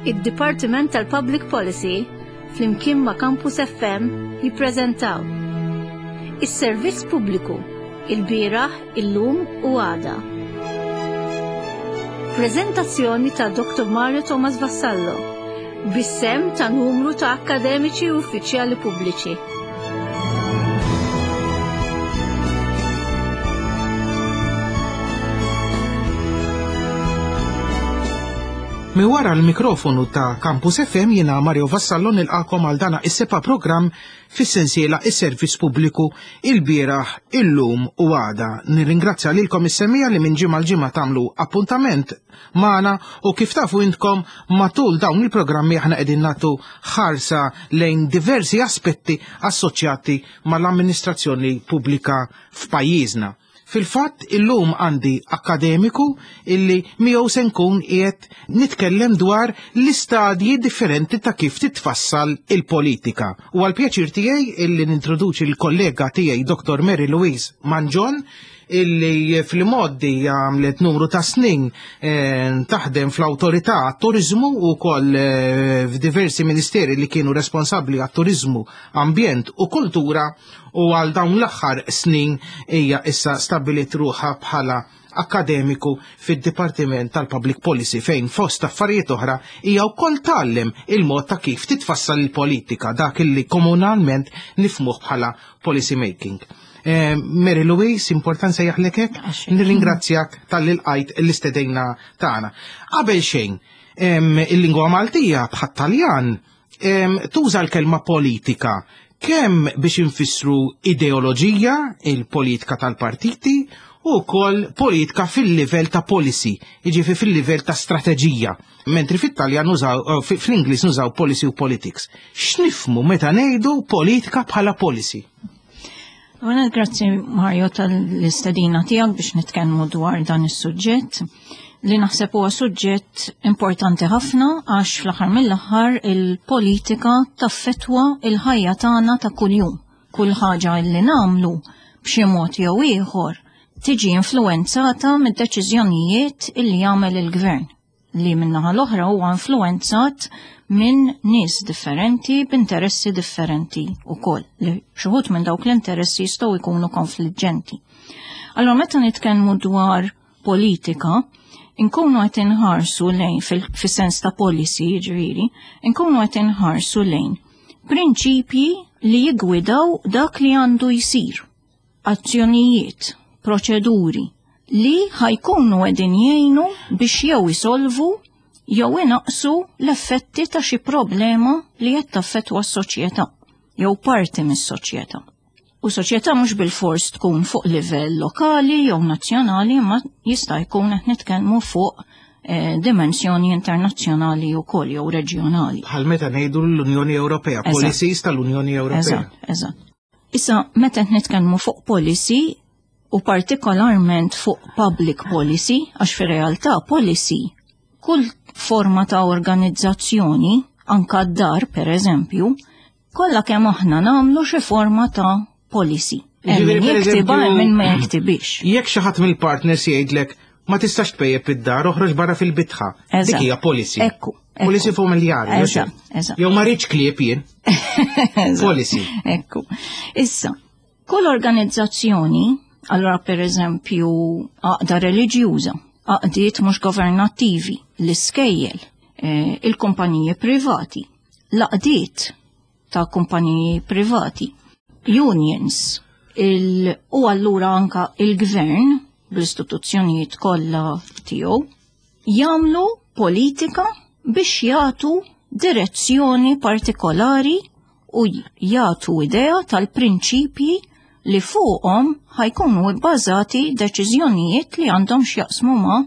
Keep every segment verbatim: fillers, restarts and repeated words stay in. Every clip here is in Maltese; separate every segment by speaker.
Speaker 1: Id-Dipartiment tal-Public Policy flimkien ma' Campus F M jippreżentaw Is-Servizz Pubbliku, il-bieraħ, illum u għada. Preżentazzjoni ta' Doktor Mario Thomas Vassallo bis-sehem ta' numru ta' akkademiċi u uffiċjali pubbliċi.
Speaker 2: Minn wara l-mikrofonu ta' Campus F M jiena Mario Vassallo nilqagħkom għal dana is-seba' programm fis-sensiela Is-Servizz Pubbliku, il-bieraħ, illum u għada. Nirringrazzja lilkom is-semmiegħa li minn ġimgħa l-ġimgħa tagħmlu appuntament magħna u kif tafu intkom, matul dawn il-programmi aħna qegħdin nagħtu ħarsa lejn diversi aspetti assoċjati mal-amministrazzjoni pubblika f'pajjiżna. Fil-fatt, illum għandi akademiku illi miegħu se nkun qiegħed nitkellem dwar l-istadji differenti ta' kif titfassal il-politika. U għal pjaċir tiegħi illi nintroduċi l-kollega tiegħi Doktor Mary Louise Mangion, illi fl-modi għamlet numru ta' snin eh, taħdem fl-autorità għat-turizmu u koll eh, f'diversi ministeri li kienu responsabli għat-turizmu, ambjent u kultura, u għal dawn l-aħħar snin hija issa stabilit ruħha bħala akademiku fid-Dipartiment tal-Public Policy, fejn fost affarijiet oħra hija wkoll tgħallem il-mod ta' kif titfassal il-politika, dak illi komunalment nifhmuh bħala policy making. Eh, Mary Louise, importanza jaħlek hekk, nirringrazzjak talli lqajt l-istedina tagħna. Qabel xejn, il-lingwa Maltija bħat-Taljan tuża l-kelma politika kemm biex infissru ideoloġija, il-politika tal-partiti, u wkoll politika fil-livell ta' policy, jiġifieri fil-livell ta' strateġija. Mentri fit-Taljan nużaw, eh, fl-Ingliż nużaw policy u politics. X'nifhmu meta ngħidu politika bħala policy?
Speaker 3: Għana, grazzi Mario tal-istedina tiegħek biex nitkellmu dwar dan is-suġġett li naħseb huwa suġġett importanti ħafna, għax fl-aħħar mill-aħħar il-politika taffetwa il-ħajja tagħna ta' kuljum. Kull ħaġa li nagħmlu b'xi mod jew ieħor tiġi influenzata mid-deċiżjonijiet illi jagħmel il-gvern, li min-naħa l-oħra huwa influenzat minn nies differenti b'interessi differenti ukoll, li xi wħud minn dawk l-interessi jistgħu jkunu konfliġġenti. Allora, meta nitkellmu dwar politika, inkunu qed inħarsu lejn, fis-sens ta' policy, ġifieri, inkunu qed inħarsu lejn prinċipji li jigwidaw dak li għandu jsir, azzjonijiet, proċeduri li ħa jkunu qegħdin jgħinu biex jew isolvu jew inaqsu l-effetti ta' xi problema li qed taffettwa s-soċjetà jew parti mis-soċjetà. U soċjetà mhux bil-fors tkun fuq livell lokali jew nazzjonali, ma jista' jkun qed nitkellmu fuq eh, dimensjoni internazzjonali wkoll jew reġjonali.
Speaker 2: Bħal meta ngħidu l-Unjoni Ewropea, policies tal-Unjoni Ewropea.
Speaker 3: Eżatt, eżatt. Issa, meta qed nitkellmu fuq policy u partikolarment fuq public policy, għax fir-realtà policy kull forma ta' organizzazzjoni, anka d-dar per eżempju, kollha kemm aħna nagħmlu xi forma ta' policy. Hemm min jiktibha, hemm min ma jiktibix.
Speaker 2: Jekk xi ħadd mill-partners jgħidlek "Ma tistax tpejjep id-dar, oħroġ barra fil-bitħa." Dik hija policy.
Speaker 3: Ekku.
Speaker 2: Policy familjari.
Speaker 3: Eżatt, eżatt.
Speaker 2: Jew "Ma rridx klieb jien." Policy.
Speaker 3: Ekku. Issa, kull organizzazzjoni, allora per eżempju għaqda reliġjuża, għaqdiet mhux governattivi, l-iskejjel, eh, il-kumpaniji privati, l-għaqdiet ta' kumpaniji privati, unions, il, u allura anka il-gvern bl-istituzzjonijiet kollha tiegħu jagħmlu politika biex jagħtu direzzjoni partikolari u jagħtu idea tal-prinċipji li fuqhom ħa jkunu bbażati deċiżjonijiet li għandhom x'jaqsmu ma'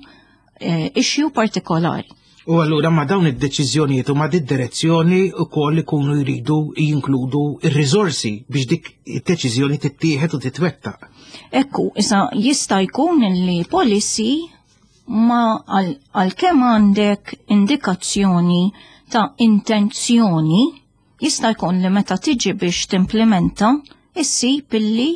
Speaker 3: eh, issue partikolari.
Speaker 2: U allura ma' dawn id-deċiżjonijiet u ma' id-direzzjoni ukoll ikunu jridu jinkludu ir-riżorsi biex dik id-deċiżjoni tittieħed u titwettaq.
Speaker 3: Ekku, issa jista' jkun li policy ma għal kemm għandek indikazzjoni ta' intenzjoni, jista' jkun li meta tiġi biex timplementa issib illi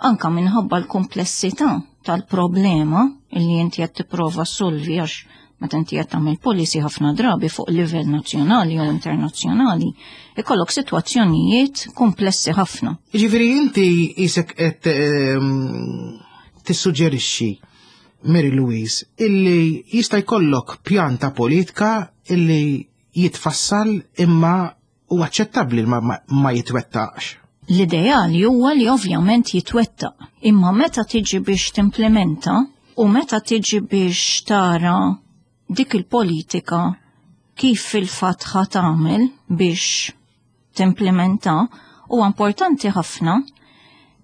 Speaker 3: anka minħabba l-komplessità tal-problema illi inti qed tipprova solvi, għax Meta inti qed tagħmel policy ħafna drabi fuq livell nazzjonali jew internazzjonali, ikollok sitwazzjonijiet komplessi ħafna.
Speaker 2: Jiġifieri inti qisek qed ehm, tissuġġerixxi, Mary Louise, illi jista' jkollok pjan ta' politika illi jitfassal imma u aċċettabbli ma, ma, ma jitwettaqx.
Speaker 3: L-ideali huwa li ovvjament jitwettaq, imma meta tiġi biex timplementa u meta tiġi biex tara dik il-politika kif fil-fatt ħa tagħmel biex timplementa, huwa importanti ħafna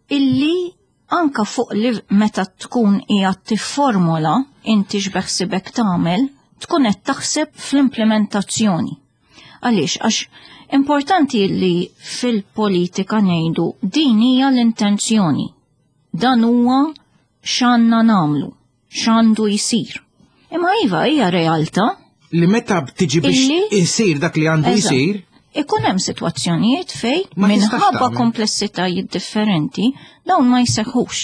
Speaker 3: illi anka fuq li meta tkun qiegħed tifformula inti x'beħsibek tagħmel, tkun qed taħseb fl-implementazzjoni. Għaliex? Għax importanti li fil-politika ngħidu din hija l-intenzjoni. Dan huwa x'għandna nagħmlu, x'għandu jsir. Imma iva hija realtà
Speaker 2: Li meta tiġi biex
Speaker 3: Illi-
Speaker 2: isir dak li għandu
Speaker 3: Eżatt.
Speaker 2: jsir,
Speaker 3: Ikun hemm sitwazzjonijiet fej
Speaker 2: Ma tistax
Speaker 3: minħabba
Speaker 2: tagħmel.
Speaker 3: komplessitajiet differenti dawn ma jseħħux.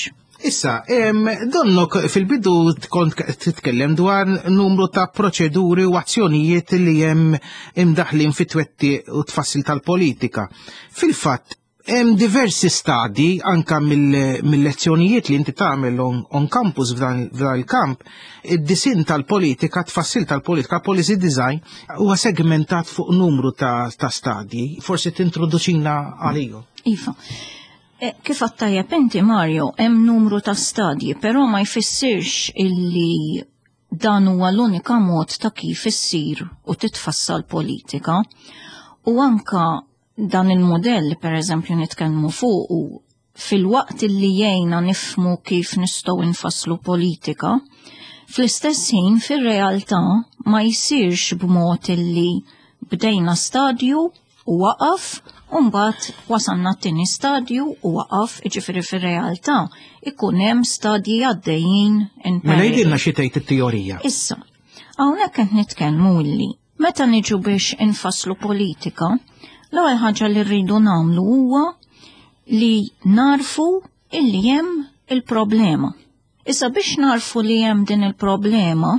Speaker 2: Issa, em, donnok fil-bidu kont titkellem dwar numru ta' proċeduri u azzjonijiet li hemm imdaħlin fit-twettiq u tfassil tal-politika. Fil-fatt, hemm diversi stadi anka mill- mill-lezzjonijiet li inti tagħmel on, on campus f'dan f'dan il-kamp, id-disin tal-politika, tfassil tal-politika, policy design, huwa segmentat fuq numru ta', ta' stadji. Forsi tintroduċina għalihom.
Speaker 3: Iva. E, Kif għedt inti, Mario, hemm numru ta' stadji, però ma jfissirx illi dan huwa l-unika mod ta' kif issir u titfassal politika. U anka dan il-modell, per eżempju, nitkellmu fuq u fil-waqt illi jgħinna nifhmu kif nistgħu nfasslu politika, fl-istess ħin fir-realtà ma jsirx b'mod illi bdejna stadju u waqaf, u mbagħad wasalna t-tieni stadju u waqaf, jiġifieri fir-realtà ikun hemm stadji għaddejjin in
Speaker 2: Mela
Speaker 3: parallel.
Speaker 2: jgħidilna xi tgħid it-teorija.
Speaker 3: Issa, hawnhekk qed nitkellmu illi meta niġu biex infasslu politika, l-ewwel ħaġa li rridu nagħmlu huwa li narfu illi hemm il-problema. Issa biex narfu li hemm din il-problema,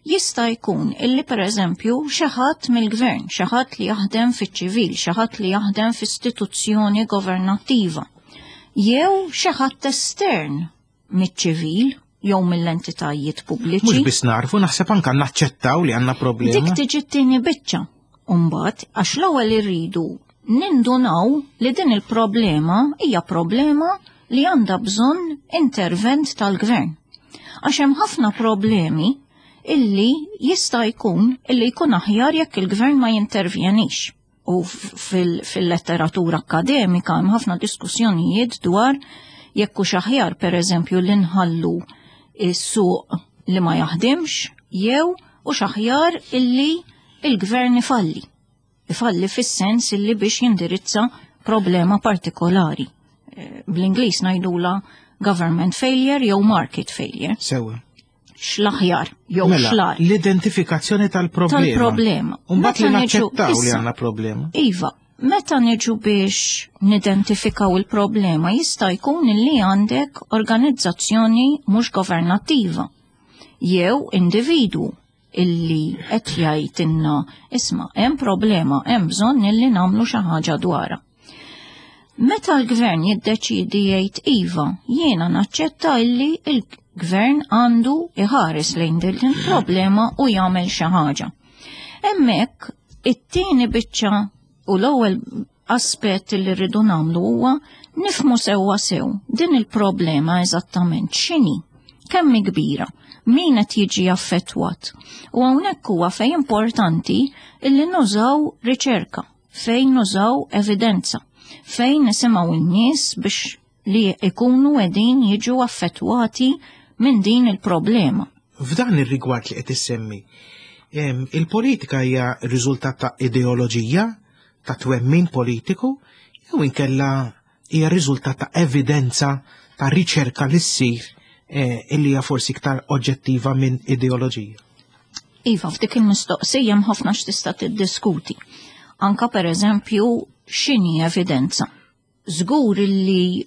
Speaker 3: jista' jkun illi per eżempju xi ħadd mill-gvern, xi ħadd li jaħdem fiċ-ċivil, xi ħadd li jaħdem f'istituzzjoni governattiva, jew xi ħadd estern miċ-ċivil jew mill-entitajiet pubbliċi.
Speaker 2: Mhux biss narfu, naħseb anka naċċettaw li għandna problema.
Speaker 3: Dik tiġi t-tieni biċċa. Umbagħad, għax l-ewwel irridu nindunaw li din il-problema hija problema li għandha bżonn intervent tal-gvern. Għax hemm ħafna problemi illi jista' jkun illi jkun aħjar jekk il-gvern ma jintervjenix. U fil- fil-letteratura akademika hemm ħafna diskussjonijiet dwar jekk hux aħjar pereżempju li nħallu is-suq li ma jaħdimx jew hux aħjar illi il-gvern ifalli. Ifalli fis-sens illi biex jindirizza problema partikolari. Eh, Bl-Ingliż ngħidula government failure jew market failure.
Speaker 2: Sewa.
Speaker 3: X'l-aħjar jew
Speaker 2: Mela,
Speaker 3: x'l-agħar
Speaker 2: l-identifikazzjoni tal-problema.
Speaker 3: tal-problema.
Speaker 2: Umbagħad li
Speaker 3: Meta niġu-
Speaker 2: naċċettaw li
Speaker 3: issa,
Speaker 2: għandna problema.
Speaker 3: Iva, meta niġu biex nidentifikaw il-problema jista' jkun li għandek organizzazzjoni mhux governattiva jew individwu illi qed jgħidilna isma' hemm problema, hemm bżonn illi nagħmlu xi ħaġa dwarha. Meta l-gvern jiddeċidi jgħid iva, jiena naċċetta illi il-gvern għandu iħares lejn din il-problema u jagħmel xi ħaġa. Hemmhekk it-tieni biċċa u l-ewwel aspett li rridu nagħmlu huwa nifhmu sewwa sew din il-problema eżattament x'inhi, kemm hi kbira, min qed jiġi affettwat. U hawnhekk huwa fejn importanti illi nużaw riċerka, fejn nużaw evidenza, fejn nisimgħu n-nies biex li ikunu qegħdin jiġu affettwati minn din il-problema.
Speaker 2: F'dan ir-rigward li qed issemmi, em, il-politika hija riżultat ta' ideoloġija, ta' twemmin politiku, jew inkella hija riżultat ta' evidenza ta' riċerka li ssir eh, illi hija forsi iktar oġġettiva minn ideoloġija.
Speaker 3: Iva, f'dik il-mistoqsija hemm ħafna x'tista' tiddiskuti. Anka per eżempju, x'inhi evidenza. Żgur li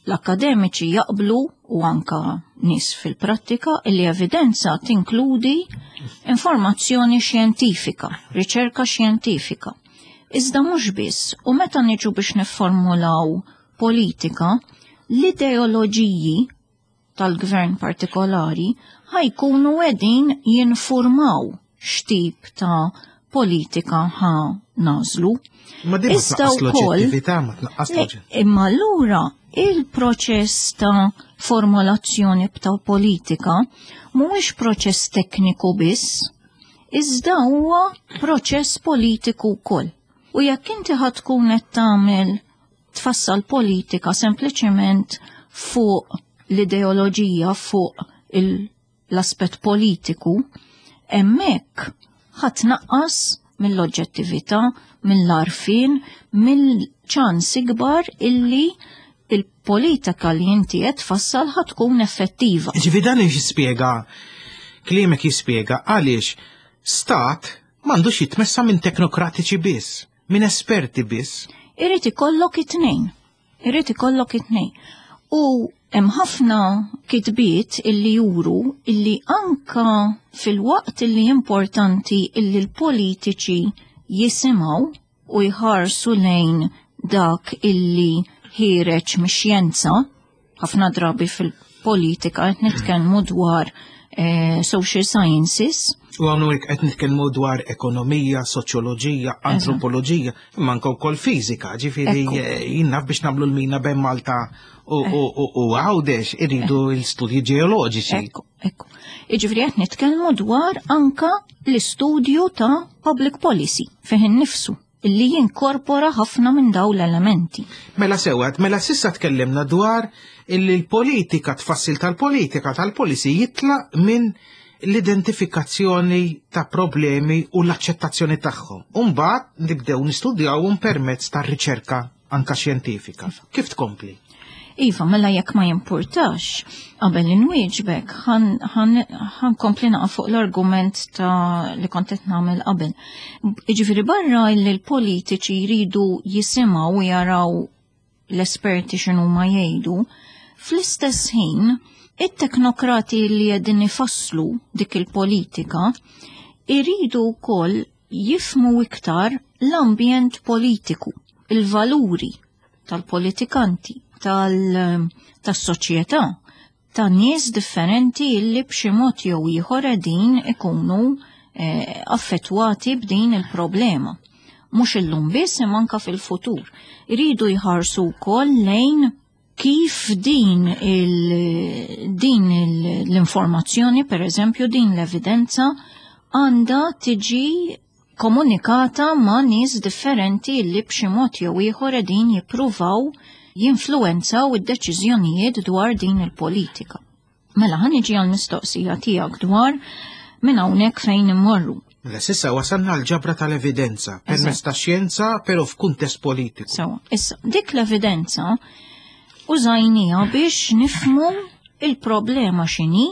Speaker 3: l-akademiċi jaqblu u anka nies fil-prattika illi evidenza tinkludi informazzjoni xjentifika, riċerka xjentifika. Iżda mhux biss, u meta niġu biex nifformulaw politika, l-ideoloġiji tal-gvern partikolari ħa jkunu qegħdin jinformaw x'tip ta' politika ħa nagħżlu.
Speaker 2: Ma din ma tnaqqas l-oġġettività, ma tnaqqas l
Speaker 3: Imma allura il-proċess ta' formulazzjoni ta' politika mhuwiex proċess tekniku biss, iżda huwa proċess politiku wkoll. U jekk inti ħa tkun qed tagħmel tfassal politika sempliċement fuq l-ideoloġija, fuq l-aspett politiku, hemmhekk ħa tnaqqas mill-oġġettività, mill-għarfien, mill-ċans ikbar illi il-politika li inti qed tfassal ħa tkun effettiva.
Speaker 2: Ġifieri dan jispjega, kliemek jispjega għaliex stat m'għandux jitmexxa minn teknokratiċi biss, minn esperti biss.
Speaker 3: Irid ikollok it-tnejn. Irid ikollok it-tnejn. U hemm ħafna kitbiet illi juru illi anka fil-waqt illi importanti illi l-politiċi jisimgħu u jħarsu lejn dak illi ħiereġ mix-xjenza, ħafna drabi fil-politika qed nitkellmu dwar eh, social sciences.
Speaker 2: U hawnhekk qed nitkellmu dwar ekonomija, soċjoloġija, antropoloġija, imma anke wkoll fiżika, ġifieri jien naf biex nagħmlu l-mina bejn Malta u Għawdex iridu l-studji ġeoloġiċi.
Speaker 3: Ekku, ekku. Jiġifieri qed nitkellmu dwar anka l-istudju ta' public policy fih innifsu illi jinkorpora ħafna minn dawn l-elementi.
Speaker 2: Mela sewwa, mela s'issa tkellimna dwar illi l-politika, tfassil tal-politika, tal-policy jitlaq minn l-identifikazzjoni ta' problemi u l-accettazzjoni tagħhom. Umbagħad nibdew nistudjawhom permezz ta' riċerka anka xjentifika. Kif tkompli?
Speaker 3: Iva, mela jekk ma jimpurtax, qabel inwieġbek, ħa nkompli naqa' fuq l-argument ta' li kont qed nagħmel qabel. Jiġifieri barra li l-politiċi jridu jisimgħu u jaraw l-esperti x'inhu ma jgħidu, fl-istess ħin it-teknokrati li qegħdin ifasslu dik il-politika iridu wkoll jifhmu iktar l-ambjent politiku, il-valuri tal-politikanti, tas-soċjetà, ta' nies differenti illi b'xi mod jew ieħor qegħdin ikunu eh, affettwati b'din il-problema. Mhux illum biss imma anka fil-futur. Iridu jħarsu wkoll lejn kif din il, din l-informazzjoni, per eżempju, din l-evidenza għandha tiġi komunikata ma' nies differenti li b'xi mod jew ieħor qegħdin jippruvaw jinfluwenzaw id-deċiżjonijiet dwar din il-politika. Mela ħa niġi għal mistoqsija tiegħek dwar minn hawnhekk fejn immorru.
Speaker 2: Mela s'issa wasalna l-ġabra tal-evidenza, permezz ta' xjenza, però f'kuntest politiku.
Speaker 3: Sewa, issa dik l-evidenza użajnieha biex nifhmu il-problema x'inhi,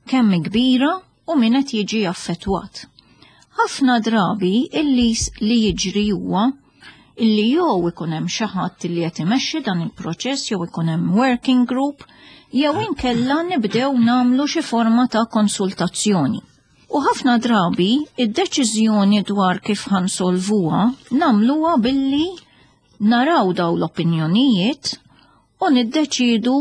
Speaker 3: kemm kbira u min qed jiġi affettwat. Ħafna drabi illi li jiġri huwa illi jew ikun hemm xi ħadd li qed imexxi dan il-proċess jew ikun hemm working group jew inkella nibdew nagħmlu xi forma ta' konsultazzjoni. U ħafna drabi id-deċiżjoni dwar kif ħa nsolvuha nagħmluha billi naraw daw l-opinjonijiet u niddeċidu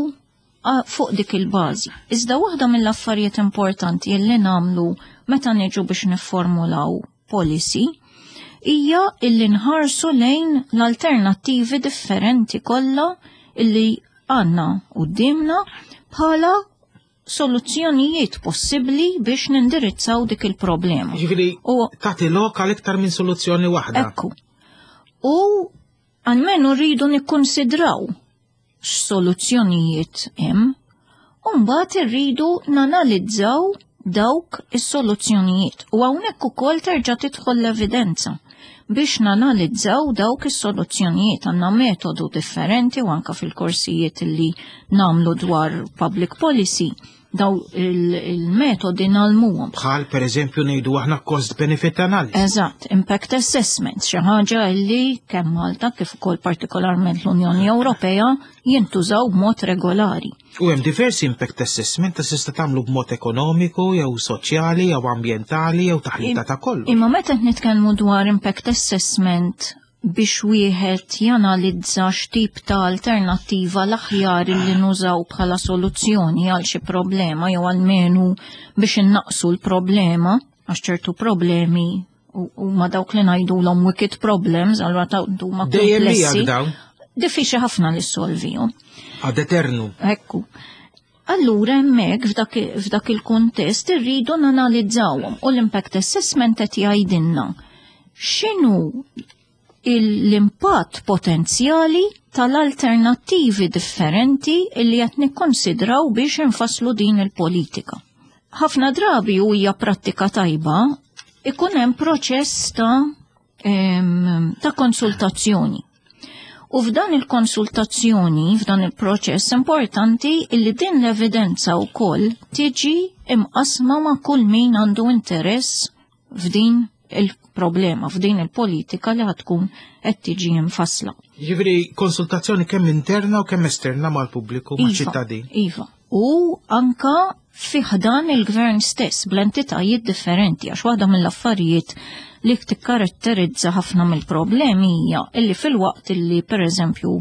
Speaker 3: fuq dik il-bażi. Iżda waħda mill-affarijiet importanti li nagħmlu meta niġu biex nifformulaw policy hija illi nħarsu lejn l-alternattivi differenti kollha illi għandna quddiemna bħala soluzzjonijiet possibbli biex nindirizzaw dik il-problema.
Speaker 2: Ġifieri tagħti lok għal iktar minn soluzzjoni waħda.
Speaker 3: Ekku. U almenu rridu nikkonsidraw x'soluzzjonijiet hemm, u mbagħad irridu nanalizzaw dawk is-soluzzjonijiet. U hawnhekk ukoll terġa' tidħol l-evidenza biex nanalizzaw dawk is-soluzzjonijiet. Għandna metodu differenti u anka fil-korsijiet li nagħmlu dwar public policy. Daw il-metodi ngħallmuhom.
Speaker 2: Bħal per eżempju ngħidu aħna cost benefit analysis.
Speaker 3: Eżatt, impact assessment, xi ħaġa li kemm Malta kif ukoll partikolarment l-Unjoni Ewropea jintużaw b'mod regolari.
Speaker 2: U hemm diversi impact assessment ta' tista' tagħmlu b'mod ekonomiku jew soċjali jew ambjentali jew taħlita ta' kollu.
Speaker 3: Imma meta nitkellmu dwar impact assessment biex wieħed janalizza x'tip ta' alternattiva l-aħjar li nużaw bħala soluzzjoni għal xi problema jew almenu biex innaqsu l-problema, għax ċertu problemi huma dawk li ngħidulhom wicked problems, allura ta' huma komplessi. Diffiċli ħafna li ssolvihom.
Speaker 2: Ad eternu.
Speaker 3: Ekku. Allura hemmhekk f'dak il-kuntest irridu nanalizzawhom u l-impact assessment qed jgħidilna x'inhu l-impatt potenzjali tal-alternattivi differenti li qed nikkonsidraw biex infasslu din il-politika. Ħafna drabi u hija prattika tajba ikun hemm proċess ta' ta' konsultazzjoni. U f'dan il-konsultazzjoni, f'dan il-proċess importanti illi din l-evidenza wkoll tiġi imqasma ma' kull min għandu interess f'din il-problema, f'din il-politika li ħatkun qed tiġi mfassla.
Speaker 2: Jiġifieri konsultazzjoni kemm interna u kemm esterna mal-pubbliku,
Speaker 3: iva,
Speaker 2: maċ-ċittadin.
Speaker 3: Iva. U anka fi ħdan il-gvern stess bl-entitajiet differenti, għax waħda mill-affarijiet li tikkaratterizza ħafna mill-problemi hija illi fil-waqt illi pereżempju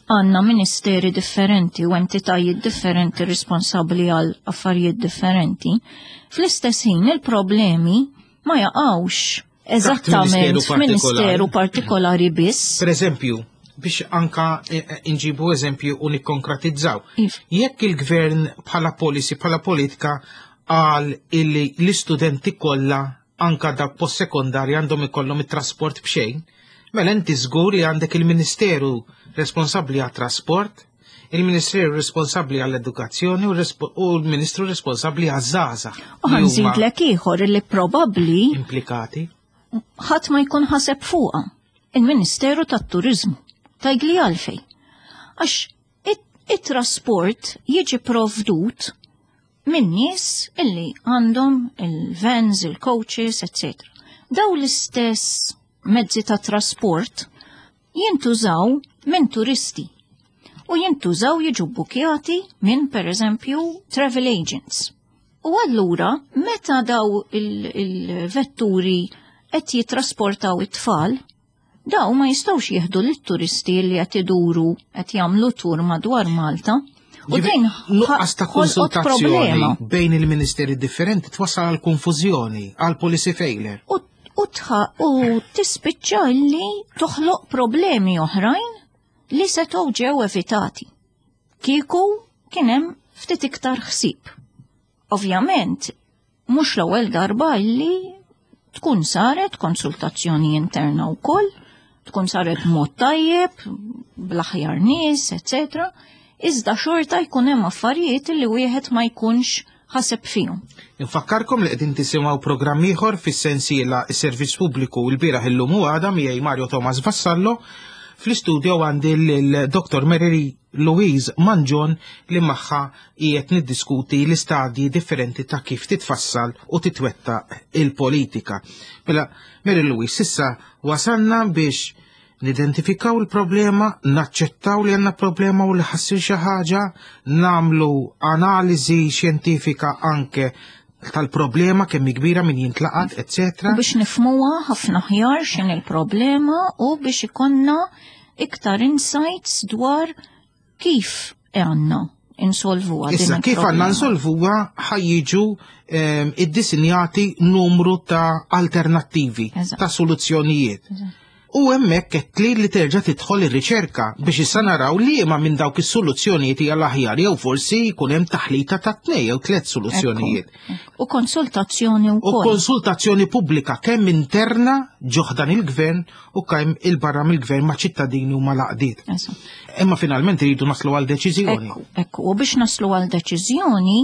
Speaker 3: għandna ministeri differenti u entitajiet differenti responsabbli għal affarijiet differenti, fl-istess ħin il-problemi ma jaqgħux eżattament f'ministeru partikolari biss.
Speaker 2: Per eżempju, biex anka inġibu eżempju u nikkonkretizzaw. Jekk il-gvern bħala policy, bħala politika għal illi l-istudenti kollha anka dak post-sekondarja għandhom ikollhom it-trasport b'xejn, mela inti żgur li għandek il-Ministeru responsabbli għat-trasport, il-Ministeru responsabbli għall-edukazzjoni u l-Ministru responsabbli għaż-żgħażagħ.
Speaker 3: U ħanżidlek ieħor li probabbli
Speaker 2: implikati
Speaker 3: ħadd ma jkun ħaseb fuqha, il-Ministeru tat-Turiżmu. Tgħidli għalfejn. Għax it-trasport jiġi provdut minn nies illi għandhom il-vans, il-coaches, eccetera. Daw l-istess mezzi ta' trasport jintużaw minn turisti u jintużaw jiġu bukjati minn per eżempju travel agents. U allura meta daw il-vetturi qed jitrasportaw it-tfal, daw ma jistgħux jieħdu lit-turisti li qed iduru qed jagħmlu tur madwar Malta. U din
Speaker 2: nuqqas ta' konsultazzjoni bejn il-ministeri differenti twassal għal konfużjoni, għal policy failure.
Speaker 3: U u tispiċċa li toħloq problemi oħrajn li setgħu ġew evitati. Kieku kien hemm ftit iktar ħsieb. Ovvjament, mhux l-ewwel darba li tkun saret konsultazzjoni interna wkoll, tkun saret mod tajjeb, bl-aħjar nies, eccetera. Iżda xorta jkun hemm affarijiet li wieħed ma jkunx ħaseb fihom.
Speaker 2: Infakkarkom li qegħdin tisimgħu programm ieħor fis-sensiela s-Servizz Pubbliku l-bieraħ illum u għada miegħi Mario Thomas Vassallo. Fl-istudio għandi l-Doktor Mary Louise Mangion li magħha qiegħed niddiskuti l-istadji differenti ta' kif titfassal u titwettaq il-politika. Mela, Mary Louise, issa wasalna biex nidentifikaw il-problema, naċċettaw li għandna problema u li ħassir xi ħaġa, nagħmlu analiżi xjentifika anke tal-problema kemm kbira min jintlaqat, eccetera.
Speaker 3: U biex nifhmuha ħafna ħjar x'in il-problema u biex ikonna iktar insights dwar kif għandna insolvuha din
Speaker 2: Issa, kif għandna
Speaker 3: il-problema.
Speaker 2: insolvuha ħajjiġu ehm, iddisinjati numru ta' alternattivi,
Speaker 3: Eżatt.
Speaker 2: ta' soluzzjonijiet.
Speaker 3: Eżatt.
Speaker 2: U hemmhekk qed li li terġa' tidħol ir-riċerka biex issa naraw li ma minn dawk is-soluzzjonijiet hija l-aħjar jew forsi jkun hemm taħlita ta' tnejn jew tliet soluzzjonijiet.
Speaker 3: U konsultazzjoni
Speaker 2: U
Speaker 3: wkoll.
Speaker 2: konsultazzjoni pubblika kemm interna ġoħdan il-gvern u kemm il-barra mill-gvern ma' ċittadini u ma' laqdiet.
Speaker 3: Eżatt.
Speaker 2: Imma finalment iridu naslu għal deċiżjoni.
Speaker 3: Ekku, ekku, u biex naslu għal deċiżjoni,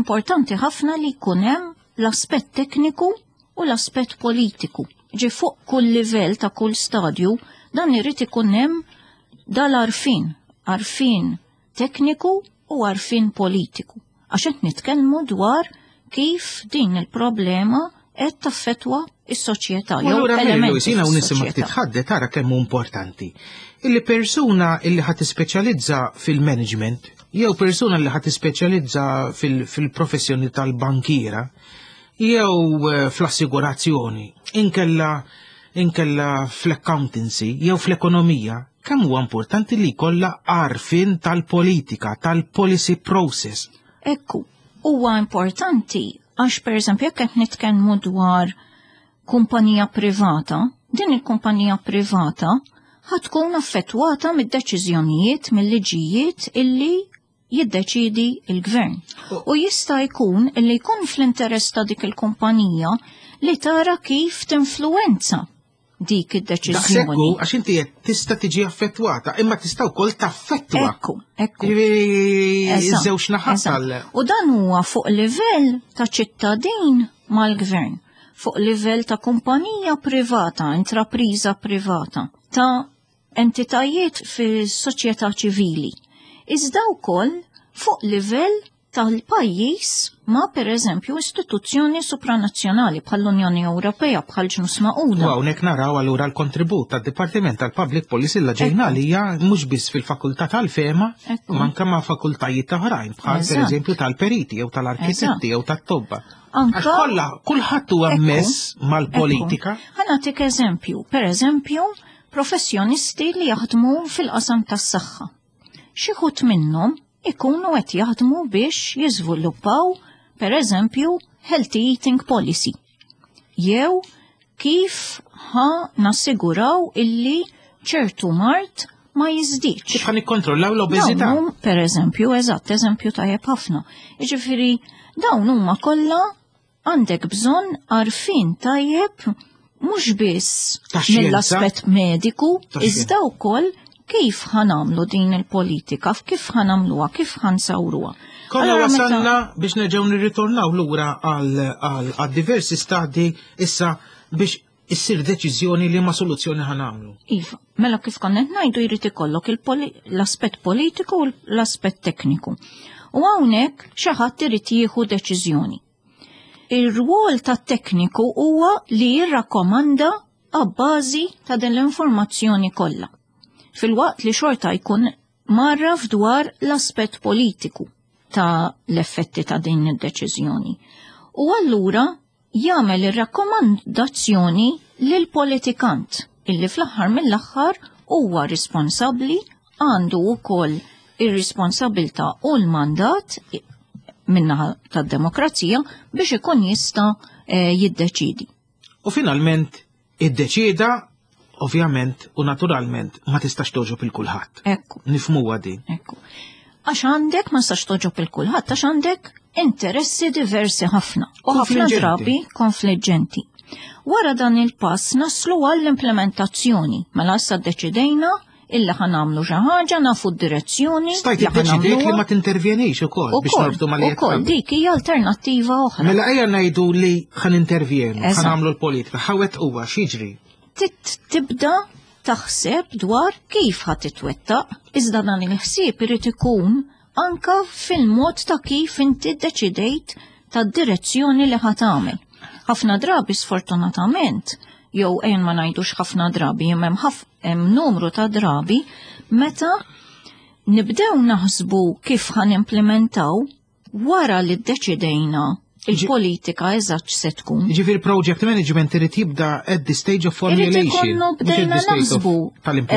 Speaker 3: importanti ħafna li jkun hemm l-aspett tekniku u l-aspett politiku. Ġi fuq kull livell ta' kull stadju, dan irid ikun hemm dal-għarfien, għarfien tekniku u għarfien politiku. Għax qed nitkellmu dwar kif din il-problema qed taffettwa is-soċjetà
Speaker 2: jew elementi. Jiena u nisimgħek titħaddet tara kemm hu importanti. Illi persuna illi ħa tispeċjalizza fil-management jew persuna li ħa tispeċjalizza fil-professjoni tal-bankiera jew eh, fl-assigurazzjoni, inkella inkella fl-accountancy jew fl-ekonomija, kemm huwa importanti li jkollha għarfien tal-politika, tal-policy process.
Speaker 3: Ekku, huwa importanti għax per eżempju jekk qed nitkellmu dwar kumpanija privata, din il-kumpanija privata ħa tkun affettwata mid-deċiżjonijiet, mill-liġijiet illi jiddeċidi il-gvern. U jista' jkun illi jkun fl-interess ta' dik il-kumpanija li tara kif tinfluwenza dik id-deċiżjoni.
Speaker 2: Daqshekk għax inti qed tista' tiġi affettwata, imma tista' wkoll taffettwa.
Speaker 3: Ekku, ekku.
Speaker 2: Żewġ naħat tal.
Speaker 3: U dan huwa fuq livell ta' ċittadin mal-gvern, fuq livell ta' kumpanija privata, intrapriża privata, ta' entitajiet fis-soċjetà ċivili. Iżda wkoll fuq livell tal-pajjiż ma' per eżempju istituzzjoni supranazzjonali bħall-Unjoni Ewropea, bħal Ġnus Magħquda.
Speaker 2: U hawnhekk naraw allura l-kontribut tad-Dipartiment tal-Public Policy la ġejna li hija mhux biss fil-fakultà tal-fema, ma anke ma' fakultajiet oħrajn bħal per eżempju tal-periti jew tal-arkitetti jew tat-tobba. Għax kollha kulħadd huwa mess mal-politika.
Speaker 3: Ħa nagħtik eżempju, per eżempju, professjonisti li jaħdmu fil-qasam tas-saħħa. Xi wħud minnhom ikunu qed jaħdmu biex jiżviluppaw, per eżempju, healthy eating policy. Jew kif ħa nassiguraw illi ċertu mard ma jiżdiedx.
Speaker 2: Kif ħa nikkontrollaw l-obeżità?
Speaker 3: Per eżempju, eżatt, eżempju tajjeb ħafna. Jiġifieri dawn huma kollha għandek bżonn għarfien tajjeb mhux biss mill-aspett mediku, iżda wkoll kif ħa nagħmlu din il-politika, kif ħa nagħmluha, kif ħa nsawruha.
Speaker 2: Konna wasalna biex nerġgħu nirritornaw lura għal diversi stadi issa biex issir deċiżjoni li ma soluzzjoni ħa nagħmlu.
Speaker 3: Iva, mela kif konna ngħidu jrid ikollok l-aspett politiku u l-aspett tekniku. U hawnhekk xi ħadd irid jieħu deċiżjoni. Ir-rwol tat-tekniku huwa li jirrakkomanda għabbażi ta' din l-informazzjoni kollha. Fil-waqt li xorta jkun marraf dwar l-aspett politiku ta' l-effetti ta' din id-deċiżjoni. U allura jagħmel ir-rakkomandazzjoni lil politikant illi fl-aħħar mill-aħħar huwa responsabbli, għandu wkoll ir-responsabilità u l-mandat minnaħa tad-demokrazija biex ikun jista' jiddeċidi.
Speaker 2: U finalment iddeċida, ovvjament u naturalment ma tistax toġob il kulħadd.
Speaker 3: Ekku.
Speaker 2: Nifhmuha din.
Speaker 3: Ekku. Għax għandek ma tistax toġob il kulħadd għax għandek interessi diversi ħafna u ħafna drabi konfliġġenti. Wara dan il-pass naslu għall-implementazzjoni. Mela issa ddeċidejna illa ħa nagħmlu xi ħaġa, nafu d-direzzjoni.
Speaker 2: Stajt iddeċidejt li ma tintervjenix ukoll biex norbtu mal
Speaker 3: Ukoll dik hija alternattiva oħra.
Speaker 2: Mela ejja ngħidu li ħa nintervjenu, ħa nagħmlu l-politika, ħawet huwa x'jiġri.
Speaker 3: Tibda taħseb dwar kif ħa titwettaq, iżda dan il-ħsieb irid ikun anka fil-mod ta' kif inti ddeċidejt tad-direzzjoni li ħa tagħmel. Ħafna drabi sfortunatament, jew ejn ma ngħidux ħafna drabi, hemm hemm numru ta' drabi meta nibdew naħsbu kif ħa nimplementaw wara li ddeċidejna il-politika eżatt se tkun.
Speaker 2: Ġifieri project management irid jibda at the stage of formulation.
Speaker 3: Irid ikollu bdejna naħsbu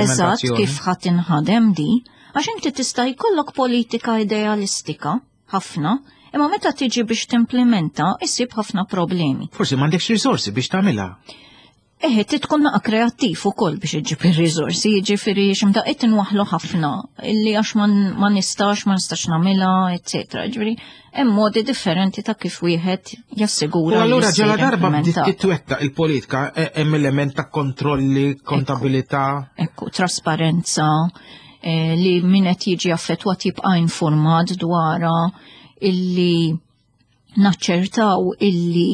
Speaker 3: eżatt kif ħa tinħadem di, għax inti tista' jkollok politika idealistika ħafna, imma meta tiġi biex timplementa issib ħafna problemi.
Speaker 2: Forsi m'għandekx risorsi biex tagħmilha.
Speaker 3: Eħe, tkun naqa kreattiv ukoll biex iġġib ir-riżorsi, jiġifieri x'imdaqqiet inwaħħlu ħafna illi għax ma nistax, ma nistax nagħmilha, eċetera. Ġifieri hemm modi differenti ta' kif wieħed jassigura.
Speaker 2: U allura ġala darba bdiet titwettaq il-politika hemm element ta' kontrolli, kontabilità.
Speaker 3: Ekku, trasparenza, li min qed jiġi affettwat jibqa' informat dwarha, illi naċċertaw illi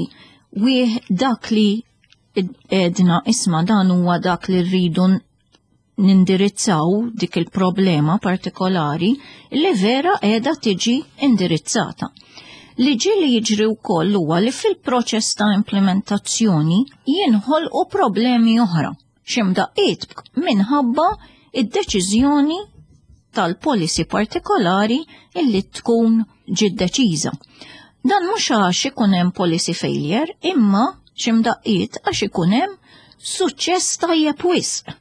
Speaker 3: wieħ dak li edna isma dan huwa dak li rridu nindirizzaw dik il-problema partikolari li vera qiegħda tiġi indirizzata. Li ġieli jiġri wkoll huwa li fil-proċess ta' implementazzjoni jinħolqu problemi oħra, x'imdaqqiet minħabba id-deċiżjoni tal-policy partikolari illi tkun ġiet deċiża. Dan mhux għax ikun hemm policy failure, imma x'imdaqqiet għax ikun hemm suċċess tajjeb wisq.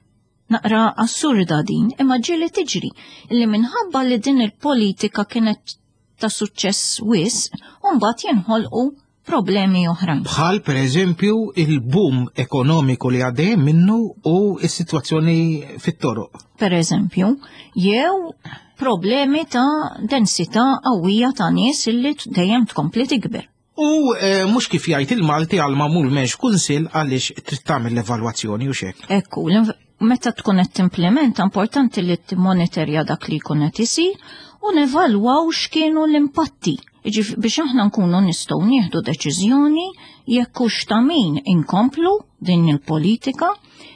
Speaker 3: Naqra assurda din, imma ġieli tiġri li minħabba li din il-politika kienet ta' suċċess wisq, u mbagħad jinħolqu problemi oħrajn.
Speaker 2: Bħal per eżempju il-boom ekonomiku li għaddej minnu u s-sitwazzjoni fit-toroq.
Speaker 3: Per eżempju, jew problemi ta' densità qawwija ta' nies illi dejjem tkompli tikber.
Speaker 2: U eh, mhux kif jgħid il-Malti għal magħmul m'hemmx kunsill għaliex trid tagħmel l-evalwazzjoni u xek.
Speaker 3: Ekku, meta tkun qed timplementa importanti li timmonitorja dak li jkun qed isir u nevalwaw x'kienu l-impatti. Jiġifieri biex aħna nkunu nistgħu nieħdu deċiżjoni jekk hux ta' min inkomplu din il-politika,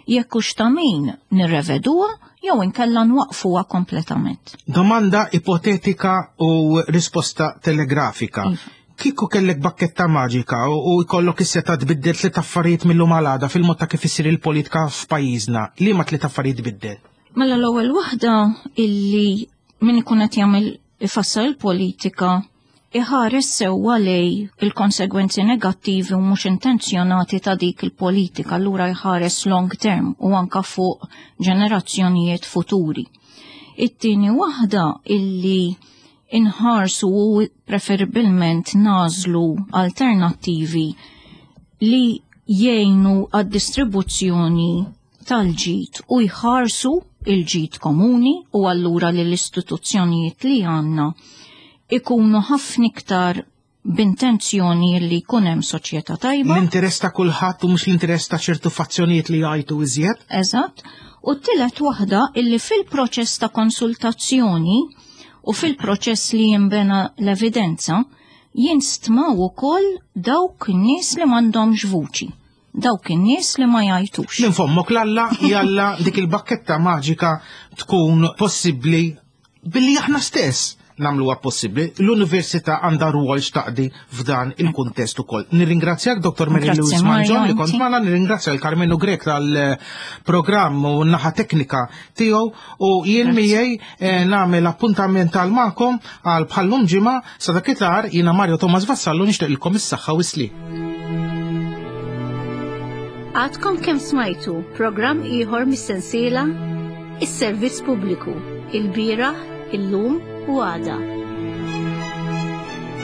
Speaker 3: jekk hux ta' min nirreveduha jew inkella nwaqfuha kompletament.
Speaker 2: Domanda ipotetika u risposta telegrafika.
Speaker 3: Iva.
Speaker 2: Kieku kellek bakketta maġika u u jkollok is-setgħa tbiddel tliet affarijiet mill-lum għal għada fil-mod ta' kif isir il-politika f'pajjiżna, liema tliet affarijiet tbiddel?
Speaker 3: Mela l-ewwel waħda illi min ikun qed jagħmel ifassal il-politika iħares sewwa lej il-konsegwenzi negattivi u mhux intenzjonati ta' dik il-politika, allura jħares long term u anka fuq ġenerazzjonijiet futuri. It-tieni waħda illi inħarsu u preferibilment nagħżlu alternattivi li jgħinu għad-distribuzzjoni tal-ġid u jħarsu il-ġid komuni u allura li l-istituzzjonijiet li għandna ikunu ħafna iktar b'intenzjoni li jkun hemm soċjetà tajba.
Speaker 2: L-interess ta' kulħadd u mhux l-interess ta' ċertu fazzjonijiet li jgħajtu iżjed.
Speaker 3: Eżatt. U t-tielet waħda illi fil-proċess ta' konsultazzjoni u fil-proċess li jinbena l-evidenza jinstmaw ukoll dawk in-nies li m'għandhomx vuċi, dawk in-nies li ma jgħajtux.
Speaker 2: Minn fommok 'l Alla jalla dik il-bakketta maġika tkun possibbli billi aħna stess nagħmluha possibbli. L-Università għandha rwol x'taqdi f'dan il-kuntest ukoll. Nirringrazzjak Dottor Mary
Speaker 3: Grazzi,
Speaker 2: Louise
Speaker 3: Mario,
Speaker 2: Mangion li kont
Speaker 3: inti.
Speaker 2: magħna, nirringrazzja l-Karmenu Grek tal-programm u n-naħa teknika tiegħu u jien
Speaker 3: Grazzi.
Speaker 2: miegħi eh, nagħmel appuntament għal magħkom għal bħallum ġimgħa sa dakinhar jiena Mario Thomas Vassallo nixtieqilkom is-saħħa u s-sliem.
Speaker 1: Għadkom kemm smajtu programm ieħor mis-sensiela Is-Servizz Pubbliku, il-bieraħ, illum u għada.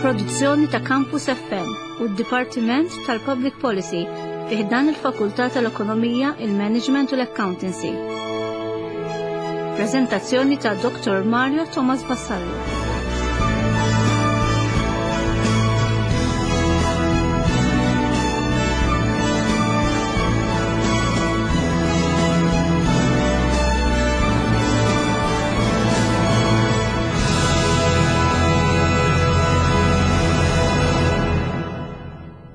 Speaker 1: Produzzjoni ta' Campus F M u d-Dipartiment tal-Public Policy fi ħdan il-Fakultà tal-Ekonomija, il-Management u l-Accountancy. Prezentazzjoni ta' Dottor Mario Thomas Vassallo.